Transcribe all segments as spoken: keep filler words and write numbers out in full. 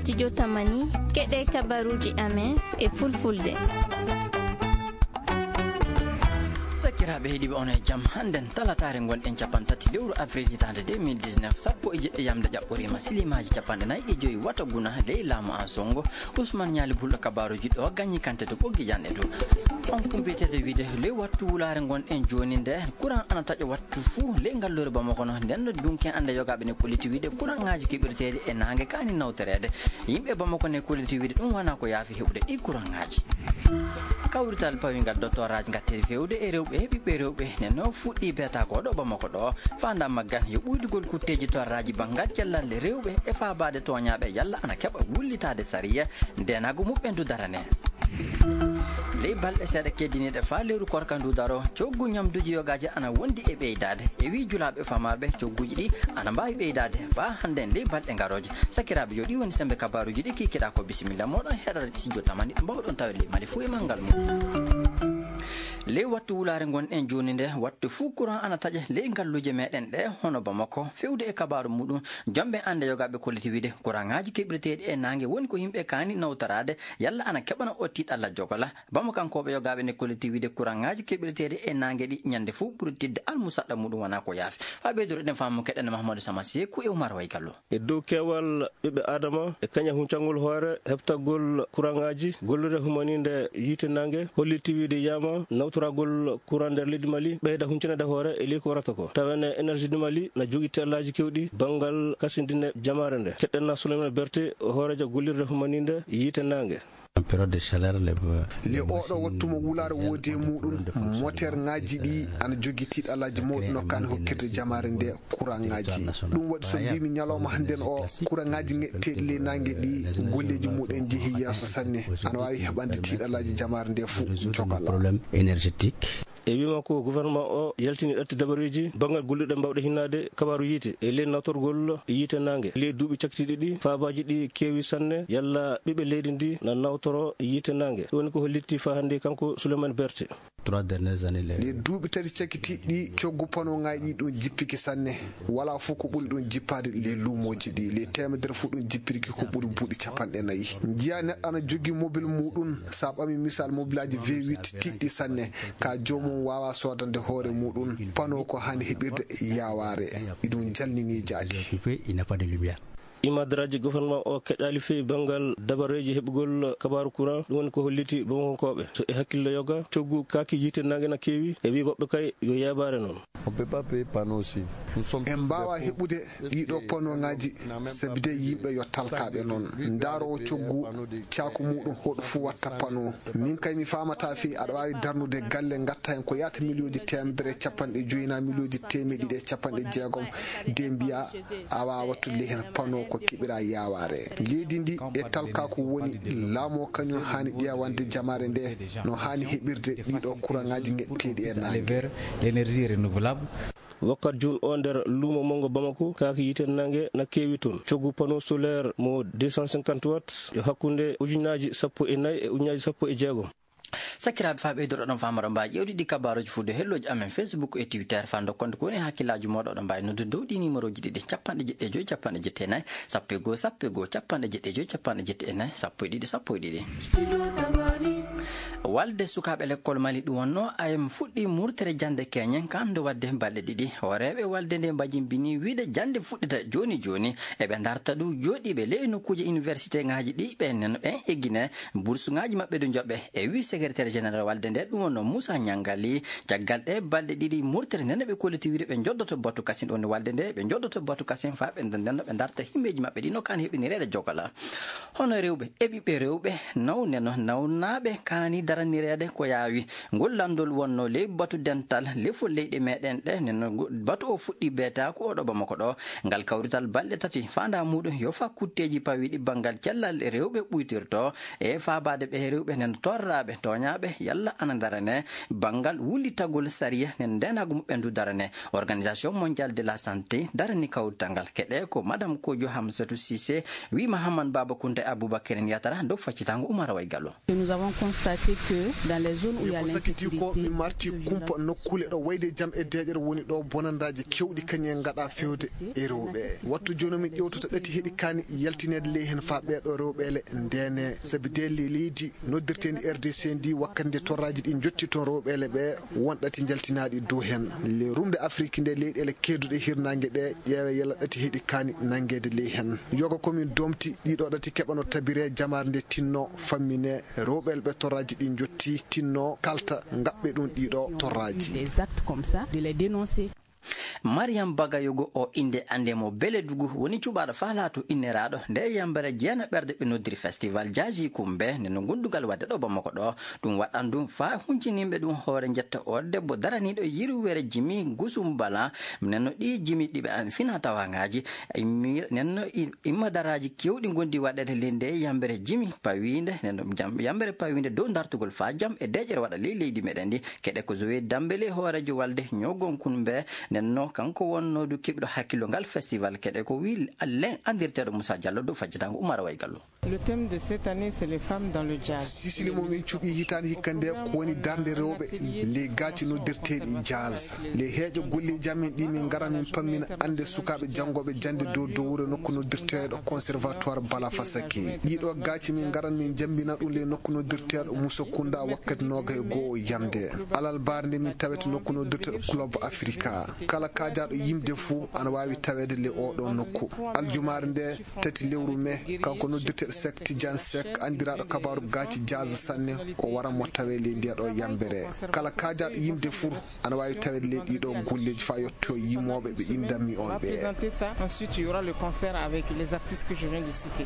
Studio Tamani, keɗe kabaruuji amen e fulfulde. Sakiraaɓe heɗiiɓe, on e jam. Hannden talataare ngonɗen capanɗe tati lewru avril hitaande deux mille dix-neuf, sappo e jeɗɗi yamde ƴaɓɓoriima, silimaaji capanɗe nayi e joyi wata guna ley laamu an songo. Ousmane Ñaali Bulɗo kabaaruuji ɗo gañi kante to ɓoggi janɗe to. On kumpeteede wiide ley wattu wulaare ngonɗen jooni nde, courant ana taƴa wattu fuu ley ngalluure Bamako no. Nden no dunken annde yogaaɓe ne kolliti wiide courantŋaaji keɓirteeɗi e naange kaani nawtoreede. Yimɓe Bamako ne kolliti wiide ɗum wonaa ko yaafi heɓude ɗi courantŋaaji. Kawrital pawingal dottoraaji ngatteeɗi feewde e rewɓe e ɓiɓɓe rewɓe ne no fuɗɗi beetaako ɗo Bamako ɗo. Faandaare maggal yo ɓuydugol kutteeji torraaji banngal cellal rewɓe e faabaade tooñaaɓe yalla ana keɓa wullitaade sariya ndeenaagu muɓɓen du darane. Ley balɗe seeɗa keddiniiɗe faa lewru korka ndu daro, coggu ñamduuji yogaaji ana wondi e ɓeydaade. E wii julaaɓe famarɓe, cogguuji ɗi ana mbaawi ɓeydaade faa hannden ley balɗe ngarooje. Sakiraaɓe, yo ɗi woni sembe kabaaruuji ɗi kiikiɗaa ko. Bisimilla mooɗon heɗaade studio Tamani, mbawɗon tawde ley Mali fuu e manngal mum. Ley wattu wulaare ngonɗen jooni nde, wattu fuu courant ana taƴe ley ngalluuje meɗen ɗe, hono Bamako. Fewde e kabaaru muɗum, jomɓe annde yogaaɓe kolliti wiide courantŋaaji keɓirteeɗi e naange woni ko yimɓe kaani nawtoraade, yalla ana keɓana o tiiɗalla jogola. Bamakankooɓe yogaaɓe ne kolliti wiide courantŋaaji keɓirteeɗi e naange ɗi ñande fuu ɓuri tidde almusaɗɗa muɗum wonaa ko yaafi. Faa ɓeydude ɗen faamu keɗen Mahamadou Sama Seeku e Oumar Way Gallo. E dow keewal ɓiɓɓe Aadama e kaña huncangol hoore heɓtagol kuraŋaaji, gollirde humaniinde yiite naange holliti wiide yiyaama nawtoragol kuraŋ nder leydi Mali ɓeyda huncanaade hoore e ley ko warata ko. Tawa ene Énergie du Mali na jogii teelaaji keewɗi banngal kasindine jamaare nde. Keɗɗen na Souleymane Berté, hooreejo gollirde humaniinde yiite naange. Période de chaleur, les, les oɗo wattu mo wulaare woodi e muɗum, moteerŋaaji ɗi ana jogii tiiɗalaaji mawɗi no kaani hokkirde jamaare nde kuraŋaaji. Ɗum waɗi so mbiimi ñalawma hannden o, kuraŋaaji ŋeɗteeɗi ley naange ɗi, golleeji muɗum njehi yeeso sanne. Ana waawi heɓande tiiɗalaaji jamaare nde fof jogala. Problème énergétique. E wii makko, gouvernement o yaltini ɗatti dabareeji banngal gollirɗe mbawɗe hinnaade kabaaru yiite e ley nawtorgol yiite naange. Ley duuɓi cakkitiiɗi ɗi, faabaaji ɗi keewi sanne, yalla ɓiɓɓe leydi ndi na nawtoro yiite naange. Ɗum woni ko hollitti faa hannde kanko Souleymane Berté. Trois dernières années, les Ley duuɓi tati cakkitiiɗi ɗi, coggu panoŋaaji ɗi ɗum jippiki sanne. Walaa fof ko ɓuri ɗum jippaade ley luumooji ɗi. Ley teemedere fof ɗum jippirki ko ɓuri buuɗi capanɗe nayi. Njiya neɗɗo ana jogii mobil muɗum, so a ɓami misal mobilaaji V huit tiiɗɗi sanne, ka joomum waawaa soodande hoore muɗum pano ko haani heɓirde yaawaare. Iɗum jalnini jaati. Occupé, il n'a pas de lumière. Imadaraaji gouvernement o keƴaali feewi banngal dabareeji heɓugol kabaaru courant, ɗum woni ko holliti Bamakonkooɓe. So e hakkille yoga, coggu kaaki yiite naange na keewi, e wii woɓɓe kay yo yaabaare noon. On peut pas payer panneau aussi. Nous sommes En mbaawaa heɓude ɗiɗo panoŋaaji, sabi de yimɓe yo talkaaɓe noon. Ndaaroowo coggu caaku muɗum hoɗo fuu watta pano. Min kay mi faamataa fii aɗa waawi darnude galle ngatta heen ko yaata miliyooji teemedere e capanɗe joyi naa miliyooji teemeɗɗe ɗiɗi e capanɗe jeegom de mbiya a waawaa wattude ley heen pano ko keɓiraa yaawaare. Leydi ndi e talkaaku woni, laamu o kañum haani ƴeewande jamaare nde no haani heɓirde ɗiɗo kuraŋaaji ngeɗteeɗi e naange. Vers l'énergie renouvelable. Wakkat jooni o nder luumo manngo Bamako, kaaki yiite naange na keewi toon. Coggu panneau solaire mo deux cent cinquante watts yo hakkunde ujunnaaji sappo e nayi e ujunnaaji sappo e jeegom. Sakiraaɓe, faa ɓeydoro ɗon faamaro mbaawi ƴeewde ɗi kabaaruuji fuu dow hellooji amen Facebook e Twitter. Faa ndokkonde ko woni hakkillaaji mooɗon, oɗon mbaawi noddude dow ɗi numéroji ɗiɗi, capanɗe jeɗɗi e joy, capanɗe jeɗɗi e nayi, sappo e goo, sappo e goo, sappanɗe jeɗɗi e joy, capanɗe jeɗɗi e nayi, sappo e ɗiɗi, sappo e ɗiɗi. Walde sukaaɓe lekkol Mali ɗum wonnoo A M fuɗɗii murtere jannde keñen, kanndo waɗde balɗe ɗiɗi. Hooreeɓe walde nde mbajimbini wiide jannde fuɗɗita jooni jooni. Eɓe ndarta ɗum jooɗiiɓe ley nokkuuje université ŋaaji ɗi ɓen nen ɓen eggine bursuŋaaji maɓɓe ɗo njoɓe. E wii secrétaire général walde nde ɗum wonnoo Moussa Niangali. Caggal ɗe balɗe ɗiɗi murtere nden ɓe kolliti wiide ɓe njoddoto batu kasin. Ɗum woni walde nde ɓe njoddoto batu kasin faa ɓe nden ɓe ndarta himmeeji maɓɓe ɗi no kaani heɓinireede jogala. Hono rewɓe e ɓiɓɓe rewɓe, nawne no nawnaaɓe kaani daranireede ko yaawi. Ngol lanndol wonnoo ley batu dental lefol leyɗe meɗen ɗe. Nden no ngu-, batu o fuɗɗi beetaaku o ɗo Bamako ɗo. Ngal kawrital balɗe tati faandaa muɗum yo faa kutteeji pawiiɗi banngal cellal rewɓe ɓuytirto e faabaade ɓe rewɓe nen torraaɓe tooñaaɓe yalla ana darane banngal wullitagol sariya nen ndeenaagu muɓɓen du darane. Organisation Mondiale de la Santé darani kawrital ngal. Keɗe ko Madame Kojo Hamsatou Cissé, wii Mahaman Baba Kounta e Aboubacar Yatara dow faccitaango Oumar Way Gallo. Nous avons constaté Dans les zones où il y a ko sakiti ko l'insécurité, min marti kumpa nokkuule ɗo wayde jam e deeƴere woni ɗo bonandaaji kewɗi kañum en ngaɗa fewde e rewɓe. Wattu jooni min ƴewtata ɗati heɗi kaani yaltineede ley heen faa ɓeeɗo rewɓeele ndeene. Sabi de le-, leydi noddirteendi R D C ndi wakkati nde torraaji ɗi njotti toon rewɓeele ɓe won ɗati njaltinaaɗi dow heen. Le rumde Afrik nde leyɗeele kedduɗe hirnaange ɗe ƴeewe yalla ɗati heɗi kaani nanngeede ley heen. Yoga ko min domti ɗiɗo ɗati keɓano tabire jamaare nde tinno fammine rewɓeele ɓe torraaji ɗi njotti tinno kalta ngaɓɓe ɗum ɗiɗo torraaji. Des actes comme ça, de les dénoncer. Mariam Bagayogo o innde annde mo Beledugu woni cuɓaaɗo faalaato inneraaɗo nde yambere jeena ɓerde ɓe noddiri festival Jaaji Kumbe nde no gondugal waɗde ɗo Bamako ɗo. Ɗum waɗan ɗum faa hunciniiɓe ɗum hoore njetta o debbo daraniiɗo yirwere Jimi Gusumbala. Nenno ɗi jimi ɗiɓe an fina tawangaaji. Immi-, nenno i-, immadaraaji kewɗi ngondi waɗeede le nde yambere jimi pawiinde, nenno jam-, yambere pawiinde dow dartugol faa jam e deeƴere waɗa ley leydi meɗen ndi. Keɗe ko Zoé Dambélé hooreejo walde ñogonkun mbe, nenno kanko wonnoodu keɓiɗo hakkillo ngal festival. Keɗe ko wi Alain andirteeɗo Moussa Diallo dow fajjitango Oumar Way Gallo. Le thème de cette année, c'est les femmes dans le jazz. Sisili mo min cuɓi hitaande hikka nde ko woni darnde rewɓe le gaaci noddirteeɗi jazz. Le heeƴo golle jam min ɗi min ngaran min pammina annde sukaaɓe janngooɓe jannde dow dowre nokku noddirteeɗo Conservatoire Bala Fasaki. Ɗiɗo gaaci min ngaran min jammbina ɗum le nokku noddirteeɗo Moussa Kounda wakkati nooga e goo yamde. Alal baarnde min tawete nokku noddirteeɗo Club Africa. Kala kaajaaɗo yimde fuu ana waawi taweede le oɗo nokku. Aljumaare nde tati lewru me, kanko noddirteeɗo Seck Tidiane Seck, anndiraaɗo kabaaru gaaci jazz sanne, o wara mo tawe ley ndiya ɗo yambere. Kala kaajaaɗo yimde fur ana waawi taweede ley ɗiɗo golleeji faa yetto yimooɓe ɓe inndanmi on ɓe. Présenter ça. Ensuite, il y aura le concert avec les artistes que je viens de citer.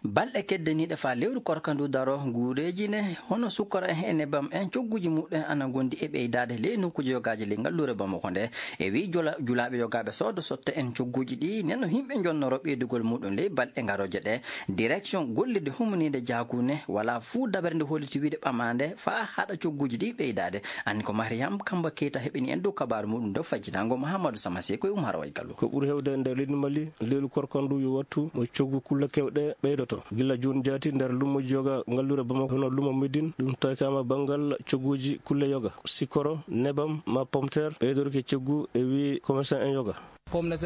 Balɗe keddaniiɗe faa lewru korka ndu daro, guureeji ne hono sukkara en e nebam en, cogguuji muɗum en ana ngondi e ɓeydaade ley nokkuuji yogaaji ley ngalluure Bamako nde. E wii jula-, julaaɓe yogaaɓe soodo sotte en cogguuji ɗi, nen no yimɓe njonnoro ɓeydugol muɗum ley balɗe ngarooje ɗe. Direction gollirde humaniinde jaakuune walaa fuu dabere nde holliti wiide ɓamaande faa haɗa cogguuji ɗi ɓeydaade. Anni ko Mariam Kamba Keita heɓini en dow kabaaru muɗum dow fajjitaango Mahamadou Samase ko e Umar Way Gallo. Ko ɓuri heewde e nder leydi Mali, lewru korka ndu yo wattu mo coggu kulle kewɗe ɓeydoto. Gila jooni jaati nder luumoji yoga ngalluure Bamako hono luumo Médine, ɗum tawkaama banngal cogguuji kulle yoga. Sikkoro, nebam, ma pomteer, ɓeydorki coggu e wii commerçant en yoga.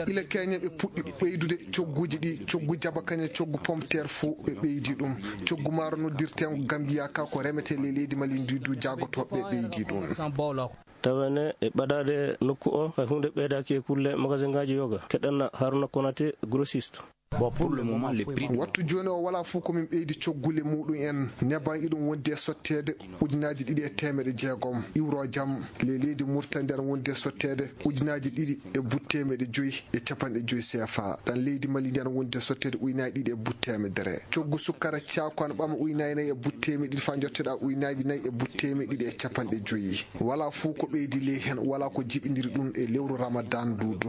Ila keñen ɓe puɗɗi ɓeydude cogguuji ɗi, coggu jaba kañe, coggu pomteer fuu ɓe ɓeydi ɗum. Coggu maaro noddirteengo Gambiya ka ko remetee ley leydi Mali ndi du jaagotooɓe ɓeydi ɗum. Tawene e ɓadaade nokku o, hay huunde ɓeydaaki e kulle magasinngaaji yoga. Keɗen Haruna Konate, grossiste. Bon, pour le moment, le prix de Wattu jooni o walaa fof ko min ɓeydi coggule muɗum en. Neban iɗum wondi e sotteede ujunaaji ɗiɗi e teemeɗe jeegom. Iwro jam, le leydi Murtani ndi ana wondi e sotteede ujunaaji ɗiɗi e butte teemeɗe joyi e capanɗe joyi C F A. Ɗan leydi Mali ndi ana wondi e sotteede ujunaaji ɗiɗi e butte teemedere. Coggu sukkara caaku ana ɓama ujunaaji nayi e butte teemeɗe ɗiɗi faa njotteɗaa ujunaaji nayi e butte teemeɗe ɗiɗi e capanɗe joyi. Walaa fof ko ɓeydi ley hen, walaa ko jiɓindiri ɗum e lewru Ramadan ndu du.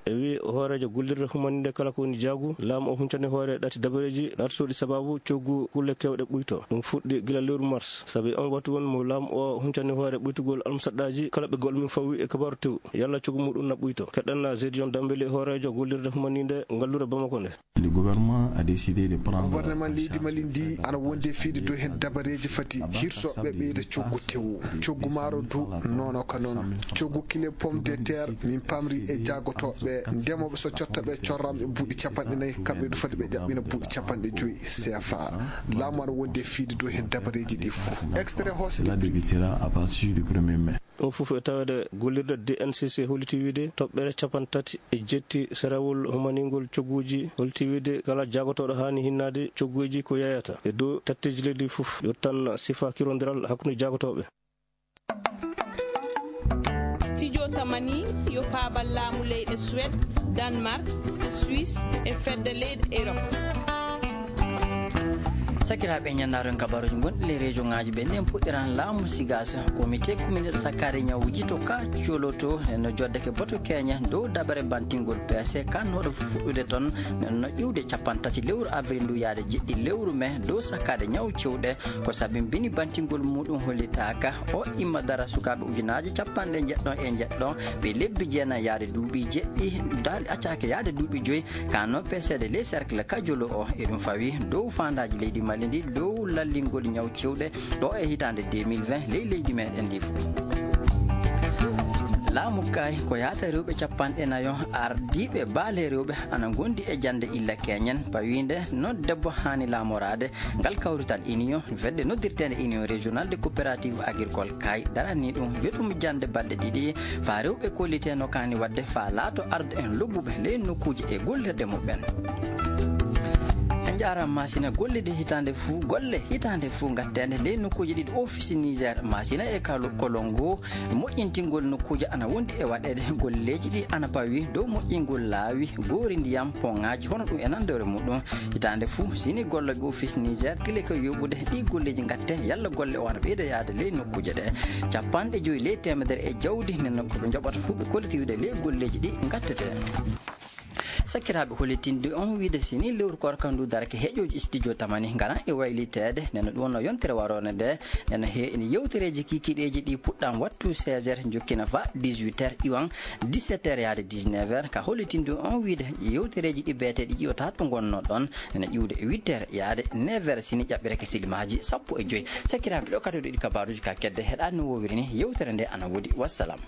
E wi hooreejo gollirde humaninde kala ko woni jaagu, laamu o huncani hoore ɗati dabareeji ɗaatotooɗi sababu coggu kulle keewɗe ɓuyto. Ɗum fuɗɗi gila lewru mars, sabi on wattu won mo laamu o huncani hoore ɓuytugol almusaɗɗaaji kala ɓe gol min fawi e kabaaru tew, yalla coggu muɗum na ɓuyto. Keɗen na Zedion Dambele, hooreejo gollirde humaninde ngallure Bamako nde. Le gouvernement a décidé de prendre Gouvernement leydi Mali ndi ana wondi e fiide dow hen dabareeji fati hirso ɓe ɓeyda coggu tew. Coggu maaro du nono ka non. Coggu kile pomme de terre min pamri e jaagotooɓe ndemooɓe so cotta ɓe corram e buuɗi capanɗe nayi, kamɓe du fati ɓe ƴaɓɓina buuɗi capanɗe joyi C F A. Laamu ana wondi e fiide dow hen dabareeji ɗi fof. Extrait hooseɗe. Cela débutera à partir du premier mai. Ɗum fof e taweede gollirde D N C C holliti wiide toɓɓere capanɗe tati e jetti serawol humaningol cogguuji holliti wiide kala jaagotooɗo haani hinnaade cogguuji ko yeeyata e dow tatteeji leydi fof, yo tan sifa kirondiral hakkunde jaagotooɓe. Studio Tamani yo paabal laamu leyɗe Suède, Danemark, Suisse e fedde leyɗe Europe. Sakiraaɓe, ñannaaru en kabaaruuji gonɗi ley région ŋaaji ɓe. Nden puɗɗiran laamu Sigas, comité communal sakkaade ñawuuji to ka Coloto, no joddeke boto keñe dow dabare bantingol P C kannooɗo fuɗɗude toon, no iwde capanɗe tati lewru avril ndu yaade jeɗɗi lewru mai dow sakkaade ñaw cewɗe. Ko sabimbini bantingol muɗum hollitaaka. O imma dara sukaaɓe ujunaaji capanɗe njeɗɗo e njeɗɗo ɓe lebbi jeenayi yaade duuɓi jeɗɗi, daali accaaka yaade duuɓi joyi, kannoo peseede ley cercle ka Jolo o. Eɗum fawi dow faandaaji leydi Mali. ndi dow lallingol ñaw cewɗe ɗo e hitaande deux mille vingt ley leydi meɗen ndi fof. Laamu kay ko yaata rewɓe capanɗe nayo ardiiɓe baale rewɓe ana ngondi e jannde illa keñen, pawiinde no debbo haani laamoraade. Ngal kawrital Union, fedde noddirteende Union Régionale de Coopérative Agricole, kay darani ɗum joɗum jannde balɗe ɗiɗi, faa rewɓe kollitee no kaani waɗde, faa laato ardo en lobbuɓe ley nokkuuje e gollirde muɓɓen. En njaaraama, Masina, golle de hitaande fuu, golle hitaande fuu ngatteende ley nokkuuje ɗiɗi Office Niger Masina e Kalo-, Kolongo. Moƴƴintingol nokkuuje ana wondi e waɗeede. Golleeji ɗi ana pawi dow moƴƴingol laawi, goori ndiyam, poŋaaji, hono ɗum e nanndore muɗum. Hitaande fuu, sini gollooɓe Office Niger tile ko yoɓude ɗi golleeji ngatte, yalla golle o ana ɓeyda yaade ley nokkuuje ɗe. Capanɗe joyi ley teemedere e jawdi, nden noon ko ɓe njoɓata fuu ɓe kolliti wiide ley golleeji ɗi ngattetee. Sakiraaɓe, hollitinde on wiide sini lewru koorka ndu darake heƴooji studio tamani ngara e wayliteede. Nena ɗum wonno yontere waroore nde. Nena he ene yewtereeji kikiiɗeeji ɗi puɗɗam wattu seize heures, jokkina fa dix-huit heures, iwan dix-sept heures yaade dix-neuf heures. Ka hollitinde on wiide yewtereeji ɗi beeteeɗi ƴiwata to ngonno ɗon, nena ƴiwde e huit heures yaade neuf heures, sini ƴaɓɓireke silimaaji sappo e joyi. Sakiraaɓe, ɗo kadi ɗi kabaaruuji ka kedde heɗaani no woowiri ni yewtere nde ana woodi. Wassalam.